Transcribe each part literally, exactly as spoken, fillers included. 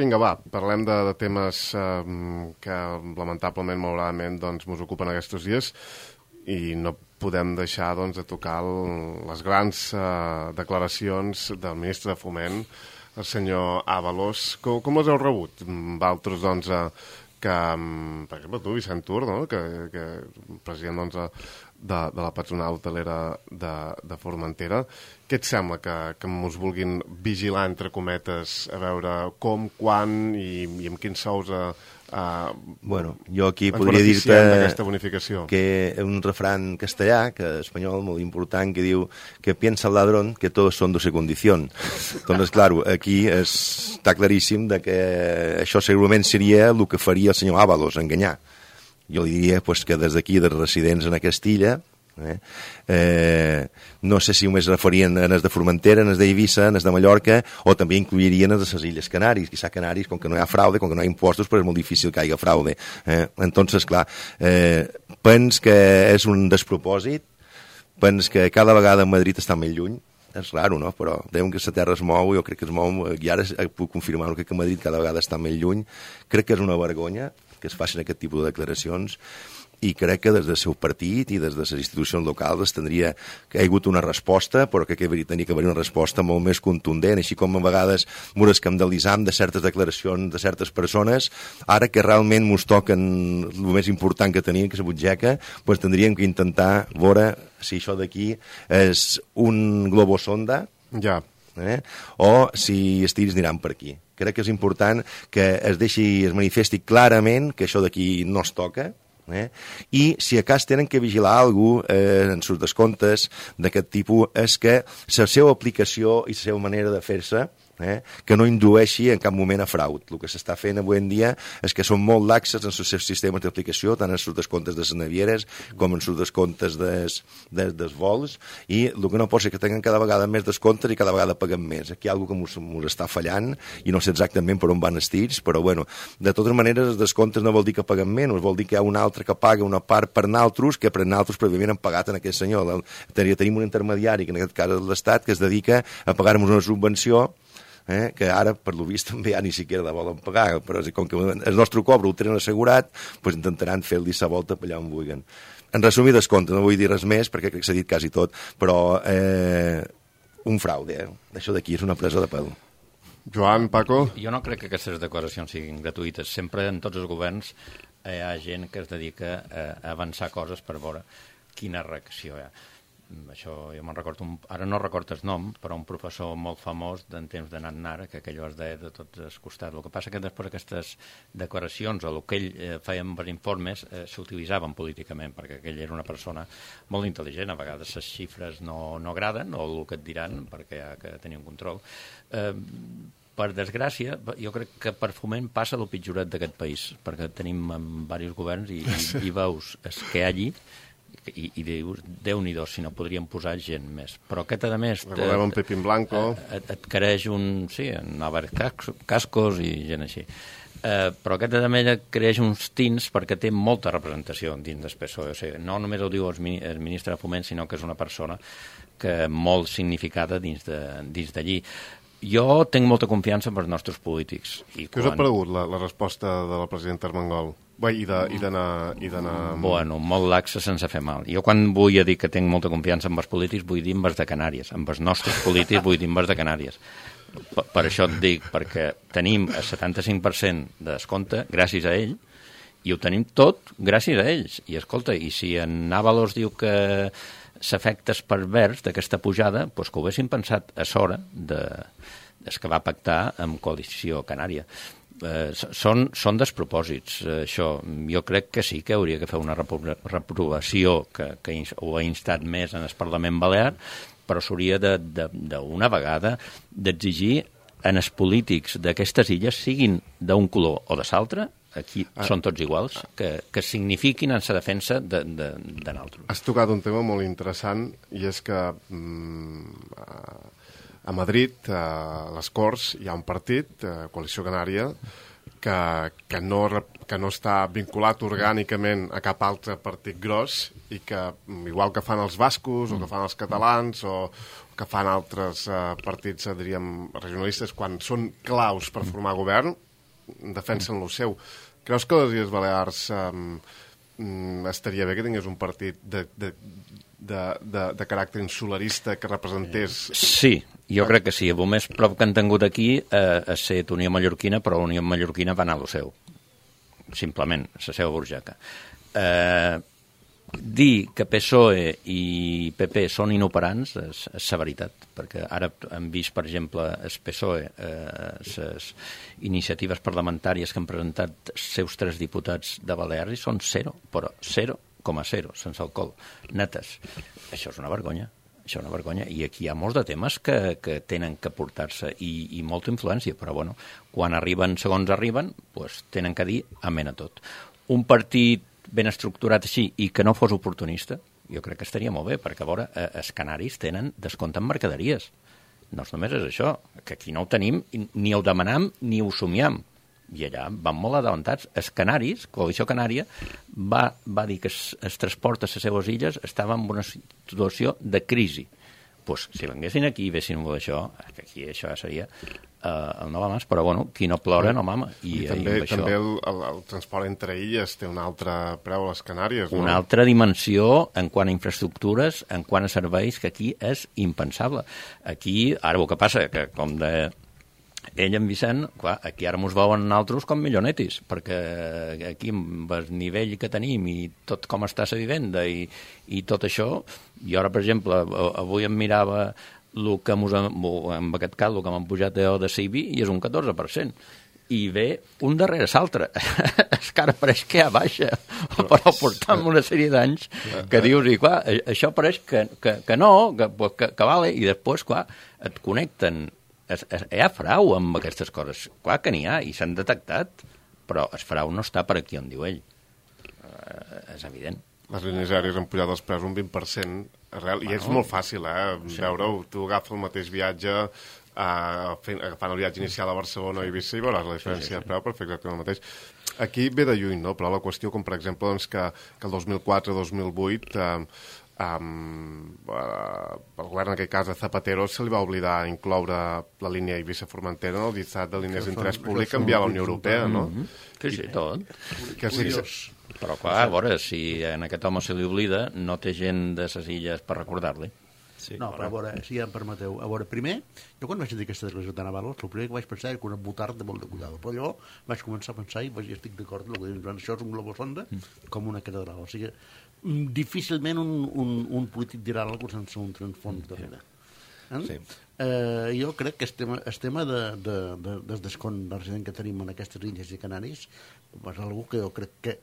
vinga, va, parlem de, de temes eh, que lamentablement, malauradament, doncs, mos ocupen aquests dies i no podem deixar doncs, de tocar el, les grans eh, declaracions del ministre de Foment, el senyor Ábalos. Com, com les heu rebut? Valtros, doncs, eh, que, per exemple, tu, Vicent Tur, no? que, que president doncs, de, de la patronal hotelera de, de Formentera, què et sembla que, que ens vulguin vigilar, entre cometes, a veure com, quan i, i amb quins sous a, a, bueno, jo aquí ens podria beneficiem dir-te d'aquesta bonificació? Que un refrán castellà, que espanyol molt important, que diu que piensa el ladrón que todos son de su condición. Entonces, claro, aquí es, està claríssim de que això segurament seria el que faria el senyor Ábalos, enganyar. Jo li diria pues, que des d'aquí, dels residents en aquesta illa, eh, eh, no sé si només referien a les de Formentera, a les d'Eivissa, a les de Mallorca, o també incluirien les de les Illes Canàries. Quizá Canàries, com que no hi ha fraude, com que no hi ha impostos, però és molt difícil que hi hagi fraude. Eh? Entonces, clar, eh, pens que és un despropòsit, pens que cada vegada Madrid està més lluny, és raro, no? Però veiem que la terra es mou, jo crec que es mou, i ara puc confirmar que Madrid cada vegada està més lluny. Crec que és una vergonya que es facin aquest tipus de declaracions i crec que des del seu partit i des de les institucions locals es tindria que hi ha hagut una resposta, però que tenia que haver una resposta molt més contundent, així com a vegades ens escandalitzam de certes declaracions de certes persones, ara que realment ens toquen el més important que tenien, que és la butxaca, doncs tindríem que intentar veure si això d'aquí és un globosonda, ja. Eh? o si els tirs aniran per aquí. Crec que és important que es deixi, es manifesti clarament que això d'aquí no es toca, eh? I si a cas tenen que vigilar alguna cosa eh, en sus descomptes d'aquest tipus és que la seva aplicació i la seva manera de fer-se Eh, que no indueixi en cap moment a fraud. El que s'està fent avui en dia és que són molt laxes en els seus sistemes d'aplicació, tant en els descomptes de les navieres com en els descomptes des, des, des vols, i el que no pot ser que tinguin cada vegada més descomptes i cada vegada paguen més. Aquí hi ha alguna cosa que ens està fallant i no sé exactament per on van els tirs, però bueno, de totes maneres els descomptes no vol dir que paguen menys, vol dir que hi ha un altre que paga una part per naltros que per naltros prèviament han pagat en aquest senyor. Tenim un intermediari, que en aquest cas és l'Estat, que es dedica a pagar-nos una subvenció Eh, que ara, per lo vist, també ja ni siquiera la volen pagar, però com que el nostre cobre ho tenen assegurat, doncs intentaran fer-li sa volta per allà on vulguin. En resumir descompte, no vull dir res més, perquè crec que s'ha dit quasi tot, però eh, un fraude, eh? Això d'aquí és una presa de pèl. Joan, Paco? Jo no crec que aquestes declaracions siguin gratuïtes. Sempre en tots els governs hi ha gent que es dedica a avançar coses per veure quina reacció hi ha. Això jo me'n recordo, un, ara no recordo el nom, però un professor molt famós d'en temps de Nat-Nara, que aquell es deia de tots els costats. El que passa que després aquestes declaracions o el que ell eh, feia per informes eh, s'utilitzaven políticament, perquè aquell era una persona molt intel·ligent, a vegades les xifres no, no agraden, o el que et diran, perquè hi ha que tenir un control. Eh, per desgràcia, jo crec que per Foment passa el pitjoret d'aquest país, perquè tenim en diversos governs i, i, i veus el que hi ha allí, i, i dius, Déu-n'hi-do, si no podríem posar gent més. Però aquest, a més... Recordem en Pepín Blanco. Et, et creix un... Sí, en Álvarez Cascos i gent així. Eh, però aquest, a més, et creix uns tins perquè té molta representació dins del P S O E. O sigui, no només ho diu el ministre de Foment, sinó que és una persona que molt significada dins d'allí. Jo tinc molta confiança en els nostres polítics. I Què us ha paregut la, la resposta de la presidenta Armengol? Bé, i d'anar... Bueno, molt laxa sense fer mal. Jo quan vull dir que tinc molta confiança en els polítics vull dir en els de Canàries. En els nostres polítics vull dir en els de Canàries. Per, per això et dic, perquè tenim el setanta-cinc per cent de descompte gràcies a ell i ho tenim tot gràcies a ells. I escolta, i si en Ábalos diu que s'efectes pervers d'aquesta pujada, doncs que ho haguessin pensat a s'hora de, des que va pactar amb Coalició Canària. Eh, són, són despropòsits, eh, això. Jo crec que sí que hauria de fer una repro reprovació que, que ho ha instat més en el Parlament Balear, però s'hauria d'una vegada d'exigir en els polítics d'aquestes illes, siguin d'un color o de l'altre, aquí ah. són tots iguals, que, que signifiquin en la defensa de, de, de nosaltres. Has tocat un tema molt interessant i és que mm, a Madrid, a les Corts, hi ha un partit, Coalició Canària, que, que, no, que no està vinculat orgànicament a cap altre partit gros i que, igual que fan els bascos, o que fan els catalans, o que fan altres uh, partits, diríem, regionalistes, quan són claus per formar govern, defensen lo seu. Creus que les Illes Balears um, estaria bé que tingués un partit de, de, de, de, de caràcter insularista que representés... Sí, jo crec que sí. El més prop que han tingut aquí eh, ha estat Unió Mallorquina, però Unió Mallorquina va anar a lo seu. Simplement, la seva burjaca. Eh, dir que P S O E i P P són inoperants és, és la veritat, perquè ara hem vist, per exemple, el P S O E, eh, les iniciatives parlamentàries que han presentat els seus tres diputats de Balears i són zero, però zero coma zero, sense alcohol, netes. Això és una vergonya. Això és una vergonya. I aquí hi ha molts de temes que, que tenen que portar-se i, i molta influència, però bueno, quan arriben segons arriben, pues, tenen que dir amén a tot. Un partit ben estructurat així i que no fos oportunista, jo crec que estaria molt bé, perquè a veure, eh, els canaris tenen descompte en mercaderies. No només és això, que aquí no ho tenim, ni ho demanam ni ho somiam. I allà van molt adelantats. Els canaris, Coalició Canària, va, va dir que els, els transports a les seves illes estaven en una situació de crisi. Pues, si venguessin aquí i vessin molt d'això, que aquí això seria uh, el no va mas, però bueno, qui no plora no mama. I, I també, i això... també el, el, el transport entre illes té un altre preu a les Canàries, no? Una altra dimensió en quant a infraestructures, en quant a serveis, que aquí és impensable. Aquí, ara el que passa, que com de... Ell, en Vicent, clar, aquí ara mos veuen altres com millonetis, perquè aquí amb el nivell que tenim i tot com està la vivenda i, i tot això, jo ara, per exemple, avui em mirava el que mos, en aquest cas, el que m'han pujat de C I B I i és un catorze per cent. I ve un darrere l'altre. És que ara pareix que ja baixa, però portant una sèrie d'anys que dius, i clar, això pareix que, que, que no, que, que, que vale, i després, clar, et connecten. Es, es, hi ha frau amb aquestes coses. Clar que n'hi ha, i s'han detectat, però el frau no està per aquí on diu ell. Uh, és evident. Les línies aèries han pujat els preus un vint per cent arrel, bueno, i és molt fàcil, eh? Sí. Veure-ho, tu agafes el mateix viatge, uh, fent, agafant el viatge inicial a Barcelona i Eivissa i veuràs la diferència sí, sí, sí. de preu per fer exactament el mateix. Aquí ve de lluny, no? Però la qüestió, com per exemple, doncs, que, que el dos mil quatre dos mil vuit... Uh, Um, uh, el govern, en aquest cas, de Zapatero, se li va oblidar incloure la línia Eivissa-Formentera en el llistat de línies d'interès públic enviar a la Unió Europea, no? Mm-hmm. Sí, sí, tot. Que sí, però, clar, a veure, si a aquest home se li oblida, no té gent de ses illes per recordar-li. Sí, no, però a veure, si ja em permeteu. A veure, primer, jo quan vaig dir aquesta declaració tan avalos, el primer que vaig pensar era que una butard de molt de cuidado, però jo vaig començar a pensar i vaig, estic d'acord amb el que dius, això és un globosonda com una catedral, o sigui, difícilment un, un, un polític dirà alguna cosa sense un transfons darrere. Eh? Sí. Eh, jo crec que el tema, el tema de, de, de, del descont de resident que tenim en aquestes illes i Canaris és una que jo crec que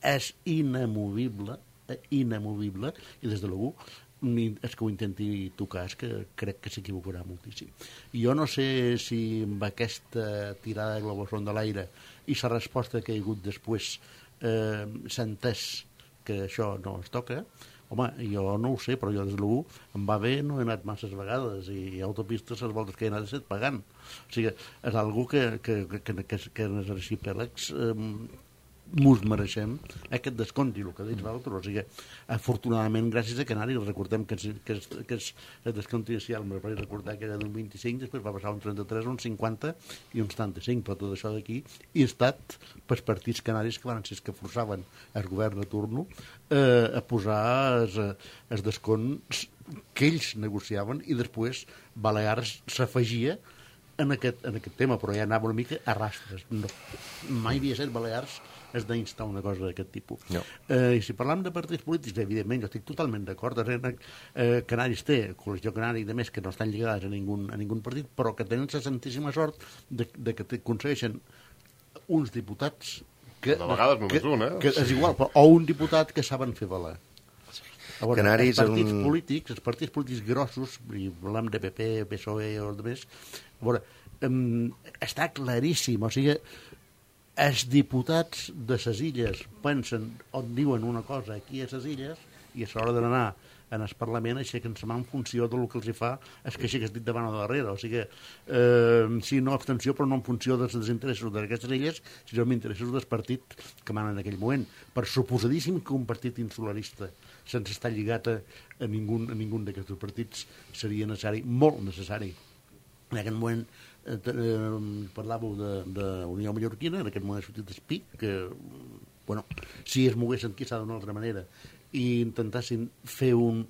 és inamovible, eh, inamovible, i des de l'algú és que ho intenti tocar, és que crec que s'equivocarà moltíssim. Jo no sé si amb aquesta tirada de globosón de l'aire i la resposta que hi ha hagut després eh, s'ha entès que això no es toca, home, jo no ho sé, però jo des de l'u em va bé, no he anat masses vegades i autopistes les voltes que he anat he estat pagant. O sigui, és algú que, que, que, que, que en els arxipèlags eh, mos mereixem aquest descompte, el que deia l'altre. O sigui, afortunadament, gràcies a Canàries, recordem que, que, que el descompte inicial, me vaig recordar que era d'un vint-i-cinc, després va passar un trenta-tres, un cinquanta i un setanta-cinc, però tot això d'aquí i ha estat pels partits canaris que van ser que forçaven el govern de turno eh, a posar els descompts que ells negociaven i després Balears s'afegia en aquest, en aquest tema, però ja anava una mica a rastres. No, mai havia estat Balears és d'instar una cosa d'aquest tipus. No. Eh, I si parlam de partits polítics, evidentment, jo estic totalment d'acord. Eh, Canaris té, Coalició Canària i de més, que no estan lligades a ningú, a ningú partit, però que tenen la santíssima sort de, de que aconsegueixen uns diputats que... De vegades només un, eh? Que és igual, però, o un diputat que saben fer valer. A veure, Canaris els partits un... polítics, els partits polítics grossos, i parlem de P P, P S O E o de més, a veure, um, està claríssim, o sigui, els diputats de les illes pensen o diuen una cosa aquí a les illes i a l'hora d'anar en el Parlament aixequen la mà en funció del que els hi fa és que aixeques dit davant o darrere. O sigui, eh, sí, no abstenció, però no en funció dels interessos d'aquestes illes, sinó en interessos del partit que manen en aquell moment. Per suposadíssim que un partit insularista sense estar lligat a, a ningú, a ningú d'aquests partits seria necessari, molt necessari, en aquest moment eh, eh, parlàveu de, de Unió Mallorquina, en aquest moment ha sortit Espic, que, bueno, si es moguessin quizà d'una altra manera i intentessin fer un,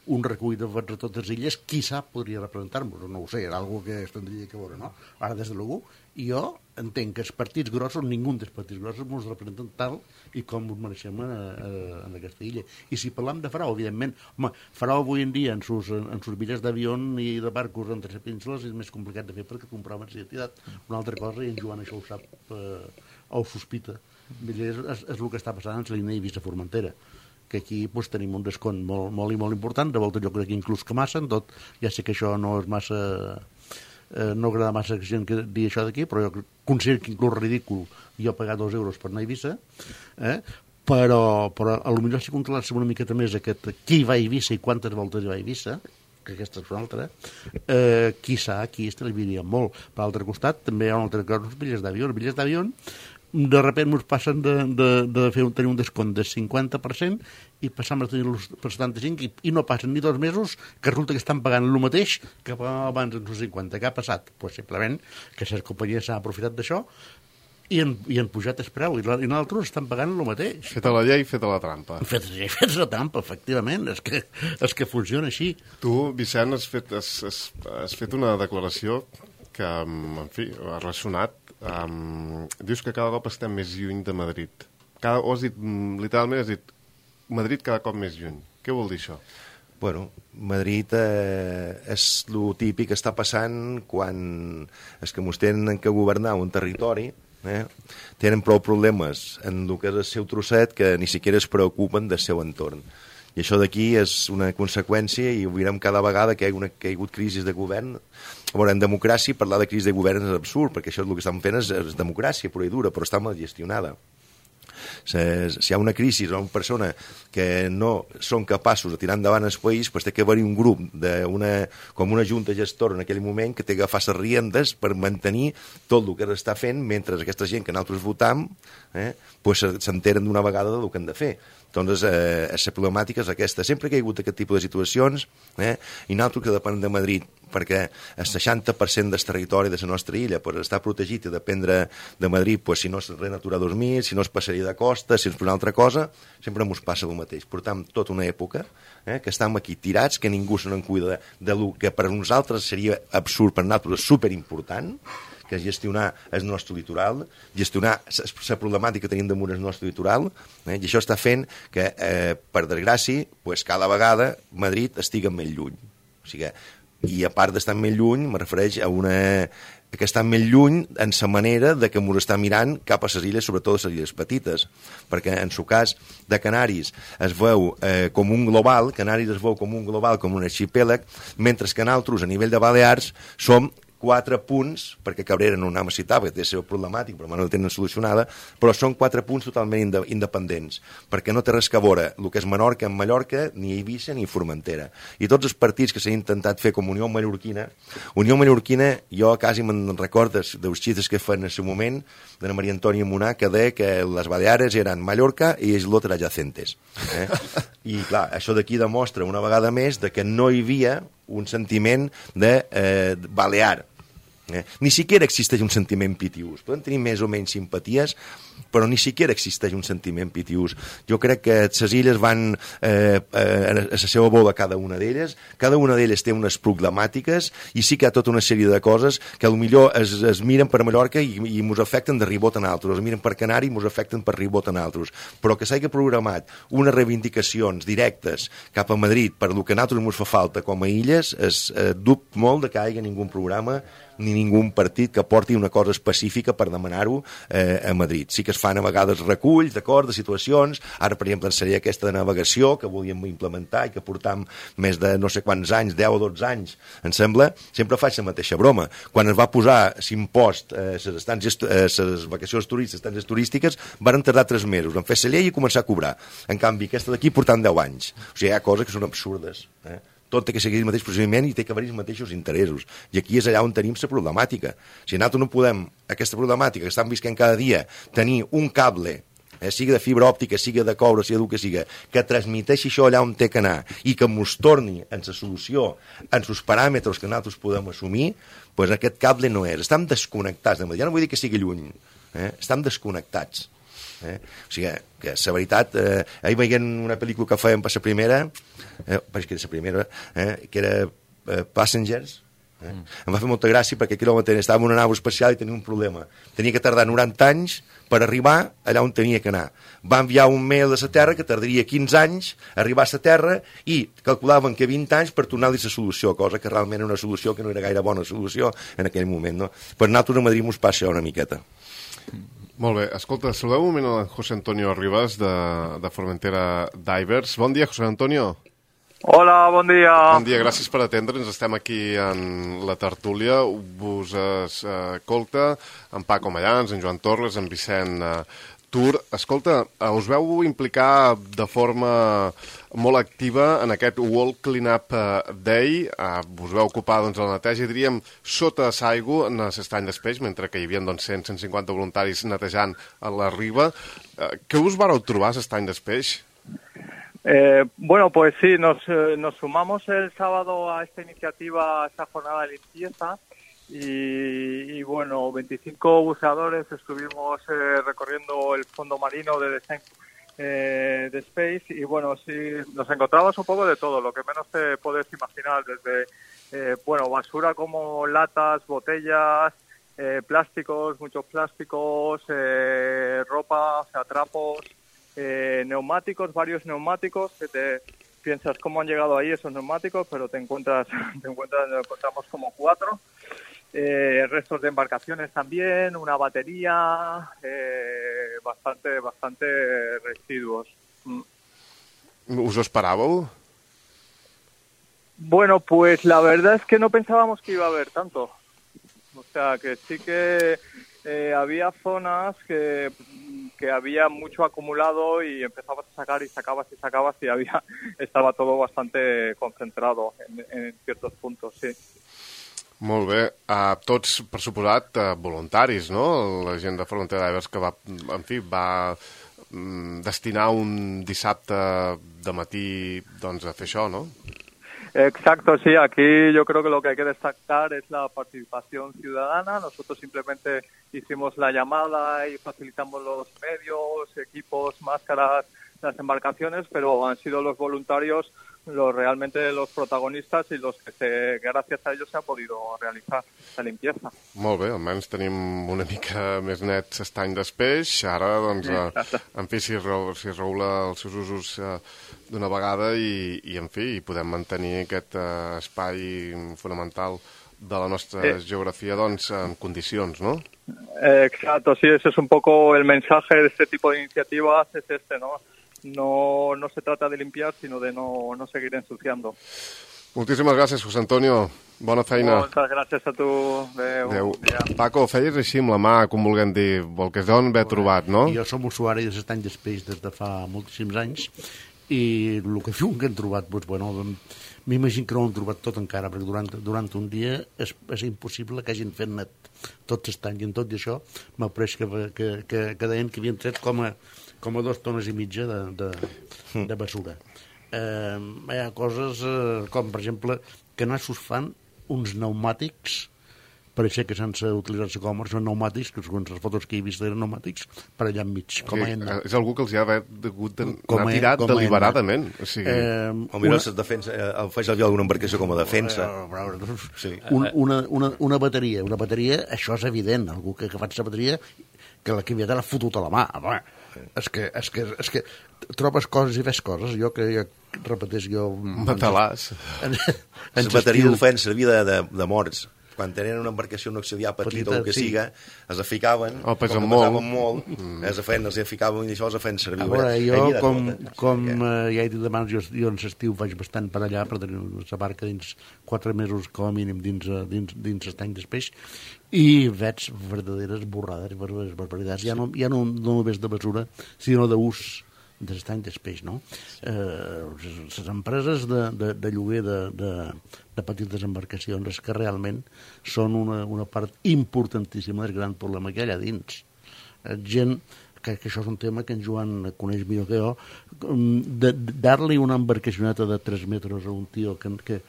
un recull de vots a totes les illes, quizà podria representar-nos, no ho sé, era algo que es tindria que veure, no? Ara, des de l'U, jo entenc que els partits grossos, ningú dels partits grossos ens representen tal i com us mereixem a, a, en aquesta illa. I si parlam de Farao, evidentment, home, Farao avui en dia en sus, en sus bitllets d'avió i de barcos entre les penínsules és més complicat de fer perquè comproven la identitat. Una altra cosa, i en Joan això ho sap eh, o ho sospita, és, és, és el que està passant en la línia Eivissa-Formentera, que aquí pues, tenim un descont molt, molt i molt important, de volta jo crec que inclús que massa, en tot, ja sé que això no és massa... Eh, no agrada massa que gent que digui això d'aquí, però jo considero que inclús ridícul jo pagar dos euros per anar a Eivissa, eh? però, però a lo millor si controlar-se una miqueta més aquest qui va a Eivissa i quantes voltes hi va a Eivissa, que aquesta és una altra, eh, quizà aquí estalviaria molt. Per l'altre costat també hi ha una altra cosa, els bitllets d'avió. Els bitllets d'avió de repente ens passen de, de, de fer un, tenir un descont del cinquanta per cent i passam a tenir-los per setanta-cinc i, i no passen ni dos mesos que resulta que estan pagant el mateix que pagaven abans en els cinquanta. Què ha passat? Pues simplement que les companyies s'han aprofitat d'això i han, i han pujat el preu, i, la, i nosaltres estan pagant el mateix. Feta la llei, feta la trampa. Feta la llei, feta la trampa, efectivament, és que, és que funciona així. Tu, Vicent, has fet, has, has, has fet una declaració que, en fi, ha ressonat. Um, dius que cada cop estem més lluny de Madrid. Cada, o has dit, literalment has dit Madrid cada cop més lluny. Què vol dir això? Bueno, Madrid eh, és el típic que està passant quan els que mos tenen que governar un territori eh, tenen prou problemes en el que és el seu trosset que ni siquiera es preocupen del seu entorn. I això d'aquí és una conseqüència i ho veurem cada vegada que hi ha, una, que hi ha hagut crisi de govern. A veure, en democràcia parlar de crisi de govern és absurd, perquè això és el que estan fent és, és democràcia pura i dura, però està mal gestionada. Si hi ha una crisi o una persona que no són capaços de tirar endavant el país, doncs té que haver-hi un grup, de una, com una junta gestora en aquell moment, que té que agafar les riendes per mantenir tot el que està fent, mentre aquesta gent que nosaltres votam eh, pues s'enteren d'una vegada del que han de fer. Doncs eh, la problemàtica és aquesta. Sempre que hi ha hagut aquest tipus de situacions, eh, i nosaltres que depenem de Madrid, perquè el seixanta per cent del territori de la nostra illa per estar protegit i dependre de Madrid, pues, si no és Red Natura dos mil, si no és passaria de costa, si és per una altra cosa, sempre ens passa el mateix. Portam tota una època eh, que estem aquí tirats, que ningú se n'en cuida de, de lo que per nosaltres seria absurd, per nosaltres superimportant, que és gestionar el nostre litoral, gestionar la problemàtica que tenim damunt el nostre litoral, eh, i això està fent que, eh, per desgràcia, pues, cada vegada Madrid estigui més lluny. O sigui, i a part d'estar més lluny, me refereix a una que està més lluny en la manera de que ens està mirant cap a les illes, sobretot les illes petites, perquè en el cas de Canaris es veu eh, com un global, Canaris es veu com un global, com un arxipèlag, mentre que nosaltres, a nivell de Balears, som quatre punts, perquè Cabrera no anem a citar, perquè té la seva problemàtica, però no la tenen solucionada, però són quatre punts totalment independents, perquè no té res que veure el que és Menorca en Mallorca, ni Eivissa ni Formentera. I tots els partits que s'han intentat fer com Unió Mallorquina, Unió Mallorquina, jo quasi me'n recordo dels xistes que fan en el moment, de la Maria Antònia Monà, que deia que les Baleares eren Mallorca i els lotes adjacentes. Eh? I clar, això d'aquí demostra una vegada més de que no hi havia un sentiment de eh, balear. Eh? Ni siquiera existeix un sentiment pitiús. Podem tenir més o menys simpaties, però ni siquiera existeix un sentiment pitiús. Jo crec que les illes van eh, eh, a la seva bola cada una d'elles, cada una d'elles té unes problemàtiques i sí que hi ha tota una sèrie de coses que potser es, es miren per Mallorca i, i mos afecten de ribot en altres, es miren per Canari i mos afecten per ribot en altres, però que s'hagi programat unes reivindicacions directes cap a Madrid per el que a nosaltres mos fa falta com a illes, es eh, dubte molt de que hi hagi ningú programa ni ningú partit que porti una cosa específica per demanar-ho eh, a Madrid. Sí que es fan a vegades reculls, d'acord, de situacions. Ara, per exemple, en seria aquesta de navegació que volíem implementar i que portam més de no sé quants anys, deu o dotze anys, em sembla, sempre faig la mateixa broma. Quan es va posar l'impost a eh, les eh, vacacions turístiques, estàncies turístiques, van tardar tres mesos en fer la llei i començar a cobrar. En canvi, aquesta d'aquí portant deu anys. O sigui, hi ha coses que són absurdes, eh? Tot té que seguir el mateix procediment i té que haver-hi els mateixos interessos. I aquí és allà on tenim la problemàtica. Si nosaltres no podem, aquesta problemàtica que estan visquent cada dia, tenir un cable eh, sigui de fibra òptica, sigui de coure, sigui del que sigui, que transmiteixi això allà on té que anar i que mos torni en la solució, en els paràmetres que nosaltres podem assumir, doncs aquest cable no és. Estem desconnectats. Ja no vull dir que sigui lluny, eh? Estem desconnectats. Eh? O sigui, que la veritat, eh, ahir veient una pel·lícula que fèiem per la primera, eh, perquè era la primera, eh, que era eh, Passengers, eh? Mm. Em va fer molta gràcia perquè aquí estava en una nau espacial i tenia un problema. Tenia que tardar noranta anys per arribar allà on tenia que anar. Va enviar un mail a la Terra que tardaria quinze anys a arribar a la Terra i calculaven que vint anys per tornar-li la solució, cosa que realment era una solució que no era gaire bona solució en aquell moment. No? Per nosaltres a Madrid mos passa una miqueta. Molt bé. Escolta, saludeu un moment a José Antonio Rivas de, de Formentera Divers. Bon dia, José Antonio. Hola, bon dia. Bon dia, gràcies per atendre'ns. Estem aquí en la tertúlia. Vos escolta en Paco Mallans, en Joan Torres, en Vicent uh, Tur. Escolta, us veu implicar de forma molt activa en aquest World Cleanup Day. Uh, us veu ocupar doncs, la neteja, diríem, sota l'aigua en l'estany d'Espeix, mentre que hi havia doncs, cent a cent cinquanta voluntaris netejant a la riba. Uh, què us vareu trobar a l'estany d'Espeix? Eh, bueno, pues sí, nos, eh, nos sumamos el sábado a esta iniciativa, a esta jornada de limpieza y, y bueno, veinticinco buceadores estuvimos eh, recorriendo el fondo marino de Design eh, de Space y bueno, sí, nos encontramos un poco de todo, lo que menos te puedes imaginar, desde eh, bueno, basura como latas, botellas, eh, plásticos, muchos plásticos, eh, ropa, o sea, trapos, Eh, neumáticos, varios neumáticos, que te piensas cómo han llegado ahí esos neumáticos, pero te encuentras, te encuentras, encontramos como cuatro, eh, restos de embarcaciones también, una batería, eh, bastante, bastante residuos. ¿Us ho esperàveu? Bueno, pues la verdad es que no pensábamos que iba a haber tanto. O sea, que sí que eh, había zonas que que había mucho acumulado y empezabas a sacar y sacabas y sacabas y había estaba todo bastante concentrado en, en ciertos puntos, sí. Molt bé. Uh, tots, per suposat, uh, voluntaris, no? La gent de Formentera Divers que va, en fi, va um, destinar un dissabte de matí doncs, a fer això, no? Exacto, sí. Aquí yo creo que lo que hay que destacar es la participación ciudadana. Nosotros simplemente hicimos la llamada y facilitamos los medios, equipos, máscaras, las embarcaciones, pero han sido los voluntarios los realmente los protagonistas y los que se, gracias a ellos se ha podido realizar la limpieza. Molt bé, almenys tenim una mica més net l'estany d'Espeix. Ara, doncs, eh, en fi, si, si es regula els seus usos eh, d'una vegada i, i, en fi, podem mantenir aquest eh, espai fonamental de la nostra eh. geografia, doncs, en condicions, no? Eh, exacto, sí, ese es un poco el mensaje de este tipo de iniciativas, es este, ¿no? No, no se trata de limpiar, sino de no, no seguir ensuciando. Moltíssimes gràcies, José Antonio. Bona feina. Moltes gràcies a tu. Adéu. Adéu. Paco, feies així amb la mà, com vulguem dir, el que es deuen haver trobat, no? Jo som usuari de l'estany d'Espeix des de fa moltíssims anys i el que diuen que hem trobat, doncs, bueno, m'imagino que no ho hem trobat tot encara, perquè durant, durant un dia és, és impossible que hagin fet net tot l'estany, i en tot i això m'ha pres que, que, que, que deien que havien tret com a, com a dos tones i mitja de, de, de basura. Eh, hi ha coses eh, com, per exemple, que nassos fan uns pneumàtics, pareixia que sense utilitzar-se com són pneumàtics, que segons les fotos que he vist eren pneumàtics, per allà enmig. Com sí, a és algú que els hi ha hagut d'anar tirat deliberadament. O sigui... Eh, o mira, una... defensa, el faig el d'una embarcació com a defensa. Sí. Un, una, una, una bateria, una bateria, això és evident, algú que ha agafat la bateria, que la que havia d'haver fotut a la mà. Home, és que, és, que, és que trobes coses i fes coses, jo que ja repeteix jo... Matalàs. Les bateries ho feien servir de, de, de morts. Quan tenien una embarcació no auxiliar petita o el que sí. siga, els ficaven, oh, com que pesaven molt, mm. els feien, els ficaven i això els feien servir. A veure, jo, com, com eh, ja he dit abans, jo, jo en l'estiu faig bastant per allà, per tenir la barca dins quatre mesos com a mínim dins, dins, dins l'estany d'Espeix, i veig verdaderes borrades, verdaderes barbaritats. Ja no, ja no, no només de mesura, sinó d'ús de l'estany d'Espeix, no? Eh, les empreses de, de, de lloguer de, de, de petites embarcacions que realment són una, una part importantíssima del gran problema que hi ha allà dins. Eh, gent que, que això és un tema que en Joan coneix millor que jo, de, de dar-li una embarcacioneta de tres metres a un tio que, que,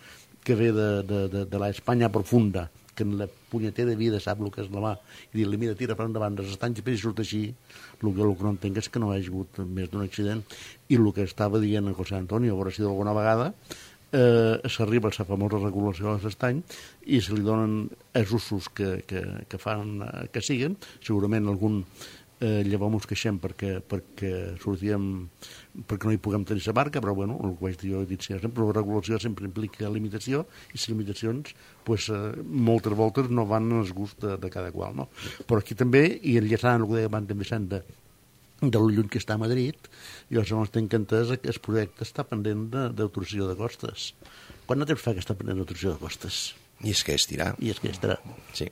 que ve de, de, de, de la Espanya profunda, que en la punyetera vida sap el que és la mà, i dir-li, mira, tira per endavant, dels estanys i surt així, el que, el que no entenc és que no hi hagi hagut més d'un accident, i el que estava dient en José Antonio, a veure si d'alguna vegada eh, s'arriba a la famosa regulació de l'estany i se li donen els usos que, que, que fan que siguen, segurament algun eh, llavors ens queixem perquè, perquè sortíem perquè no hi puguem tenir la barca, però bueno, el que vaig dir jo he dit sempre, la regulació sempre implica limitació i les limitacions pues, eh, moltes voltes no van al gust de, de cada qual, no? Però aquí també, i enllaçant el que deia abans també de, de lo lluny que està a Madrid, jo segons tinc entès que el projecte està pendent d'autorització de costes. Quant de temps fa que està pendent d'autorització de costes? I és que estirà. I és que estirà. Sí.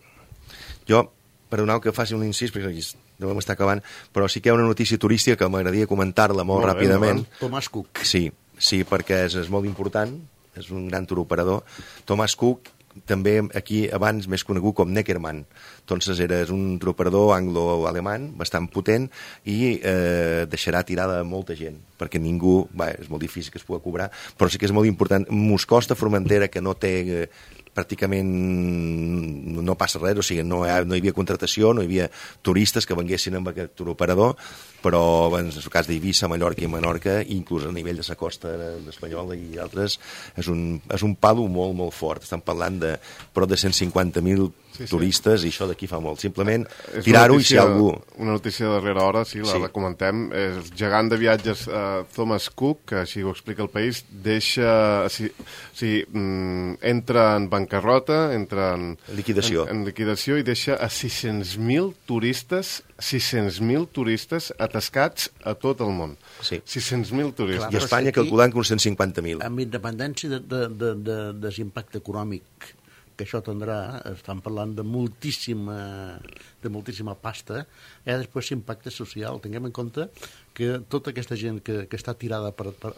Jo, perdoneu que faci un incís, perquè aquí devem estar acabant, però sí que hi ha una notícia turística que m'agradaria comentar-la molt, molt ràpidament. Bé, Thomas Cook. Sí, sí, perquè és, és molt important, és un gran turoperador. Thomas Cook, també aquí abans més conegut com Neckermann. Entonces era un turoperador anglo-alemany bastant potent i eh, deixarà tirada molta gent, perquè ningú, va, és molt difícil que es pugui cobrar, però sí que és molt important. Moscosta, Formentera, que no té... Eh, pràcticament no passa res, o sigui, no hi, ha, no hi havia contratació, no hi havia turistes que venguessin amb aquest turoperador, però en el cas d'Eivissa, Mallorca i Menorca, inclús a nivell de la costa espanyola i altres, és un, és un palo molt, molt fort. Estan parlant de prop de cent cinquanta mil sí, sí. turistes i això d'aquí fa molt. Simplement tirar-ho i si algú... Una notícia de darrera hora, sí, la sí. comentem. El gegant de viatges uh, Thomas Cook, que així ho explica el País, deixa... Si, si, mm, entra en bancarrota, entra en liquidació, en, en liquidació i deixa a sis-cents mil turistes sis-cents mil turistes atascats a tot el món. Sí. sis-cents mil turistes. I Espanya calculant que uns cent cinquanta mil. Amb independència de, de, de, de, de l'impacte econòmic que això tindrà, estan parlant de moltíssima, de moltíssima pasta, hi ha després l'impacte social. Tinguem en compte que tota aquesta gent que, que està tirada per, per,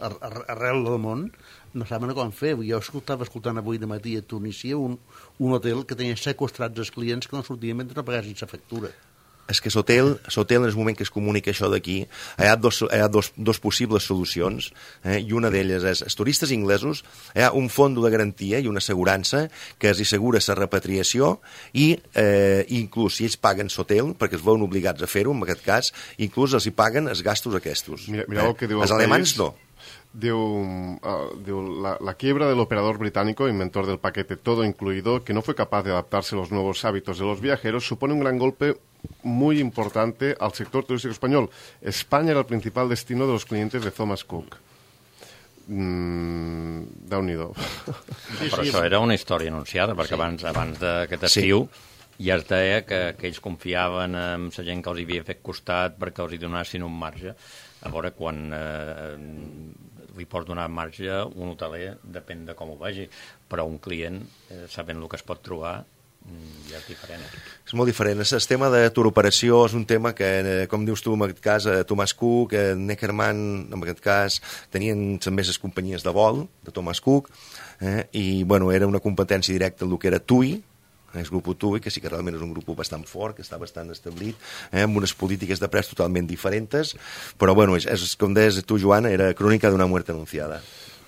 arrel del món no saben com fer. Jo escoltava escoltant avui de matí a Tunísia un, un hotel que tenia sequestrats els clients que no sortien mentre no pagassin la factura. És que l'hotel, l'hotel en el moment que es comunica això d'aquí, hi ha dos, hi ha dos, dos possibles solucions, eh, i una d'elles és, els turistes inglesos, hi ha un fons de garantia i una assegurança que els assegura la repatriació i eh, inclús si ells paguen l'hotel, perquè es veuen obligats a fer-ho, en aquest cas, inclús els hi paguen els gastos aquests. Mira, mireu el que diu el els alemans país. No. Diu, uh, diu la, la quiebra del operador británico, inventor del paquete todo incluido, que no fue capaz de adaptarse a los nuevos hábitos de los viajeros, supone un gran golpe muy importante al sector turístico español. España era el principal destino de los clientes de Thomas Cook. Mm, Déu-n'hi-do. Sí, però sí, això era una història anunciada, perquè sí. abans, abans d'aquest estiu sí. ja es deia que, que ells confiaven en la gent que els havia fet costat perquè els hi donassin un marge. A veure, quan eh, li pots donar marge un hoteler, depèn de com ho vegi, però un client, eh, sabent el que es pot trobar, ja és diferent. És molt diferent. El tema de turoperació és un tema que, com dius tu, en aquest cas, Thomas Cook, Neckermann, en aquest cas, tenien també les companyies de vol de Thomas Cook, eh, i bueno, era una competència directa en el que era T U I, el grup T U I, que sí que realment és un grup bastant fort, que està bastant establit, eh, amb unes polítiques de pres totalment diferents, però bueno, és, és, com deies tu, Joan, era crònica d'una muerte anunciada.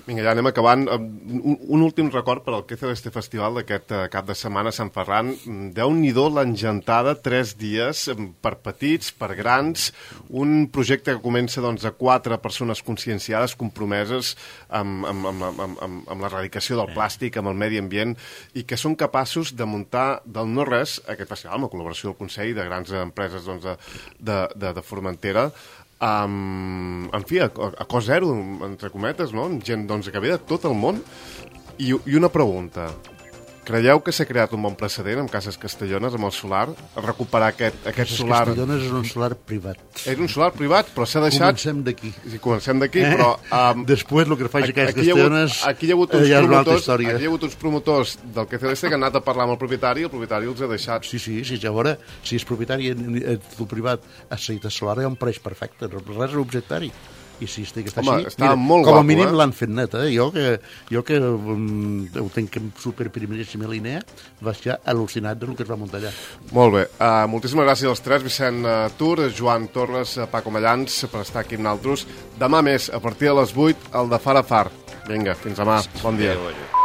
Vinga, ja anem acabant. Un, un últim record per al que fer este festival d'aquest uh, cap de setmana a Sant Ferran. Déu-n'hi-do l'engentada, tres dies, per petits, per grans, un projecte que comença doncs, a quatre persones conscienciades, compromeses amb, amb, amb, amb, amb, amb l'erradicació del plàstic, amb el medi ambient, i que són capaços de muntar del no-res aquest festival, amb la col·laboració del Consell de grans empreses doncs, de, de, de, de Formentera, Um, en fi, a, a cost zero, entre cometes, no? Gent doncs, que ve de tot el món. I, i una pregunta. Creieu que s'ha creat un bon precedent amb Cases Castellones, amb el solar, a recuperar aquest, aquest Cases solar... Castellones és un solar privat. És un solar privat, però s'ha deixat... Comencem d'aquí. Sí, comencem d'aquí, eh? però... Um, Després el que faci Cases Castellones... Aquí hi ha hagut uns ja promotors, aquí hi ha hagut uns promotors del que C D C que han anat a parlar amb el propietari i el propietari els ha deixat. Sí, sí, sí, ja veure, si és propietari el privat ha seguit el solar, hi ha un preix perfecte, res és objectari. i si estic està Home, així, està molt com a guapo, mínim eh? l'han fet net, eh? Jo que, jo que um, ho tenc en superprimeríssima línia, vaig ja al·lucinat del que es va muntar allà. Molt bé. Uh, moltíssimes gràcies als tres, Vicent uh, Tur, Joan Torres, uh, Paco Mallans, per estar aquí amb nosaltres. Demà més, a partir de les vuit, el de Far a Far. Vinga, fins demà. Bon dia. Adéu, adéu.